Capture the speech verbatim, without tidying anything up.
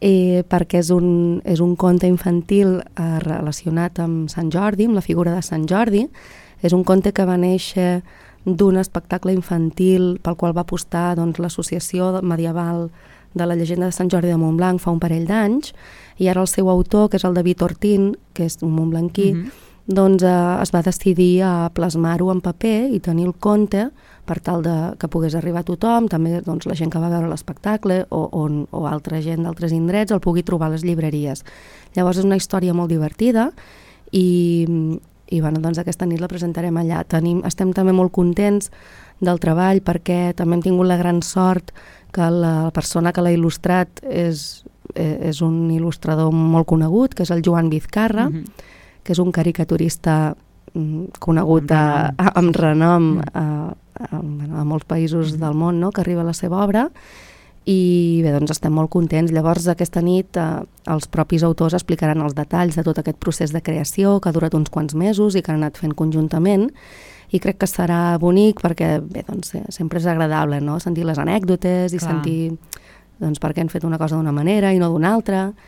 eh, perquè és un, és un conte infantil eh, relacionat amb Sant Jordi, amb la figura de Sant Jordi. És un conte que va néixer d'un espectacle infantil pel qual va apostar doncs, l'associació medieval de la llegenda de Sant Jordi de Montblanc fa un parell d'anys, i ara el seu autor, que és el David Ortín, que és un montblanquí, mm-hmm. doncs eh, es va decidir a plasmar-ho en paper i tenir el conte per tal de que pogués arribar a tothom, també doncs, la gent que va veure l'espectacle o, o, o altra gent d'altres indrets el pugui trobar a les llibreries. Llavors és una història molt divertida i, i bueno, doncs aquesta nit la presentarem allà. Tenim, estem també molt contents del treball perquè també hem tingut la gran sort que la persona que l'ha il·lustrat és, és un il·lustrador molt conegut, que és el Joan Vizcarra, mm-hmm. que és un caricaturista conegut a, a, amb renom a, a, a molts països del món, no?, que arriba a la seva obra, i bé, doncs estem molt contents. Llavors aquesta nit eh, els propis autors explicaran els detalls de tot aquest procés de creació que ha durat uns quants mesos i que han anat fent conjuntament, i crec que serà bonic perquè bé, doncs, sempre és agradable, no?, sentir les anècdotes i Clar. sentir doncs, per què han fet una cosa d'una manera i no d'una altra.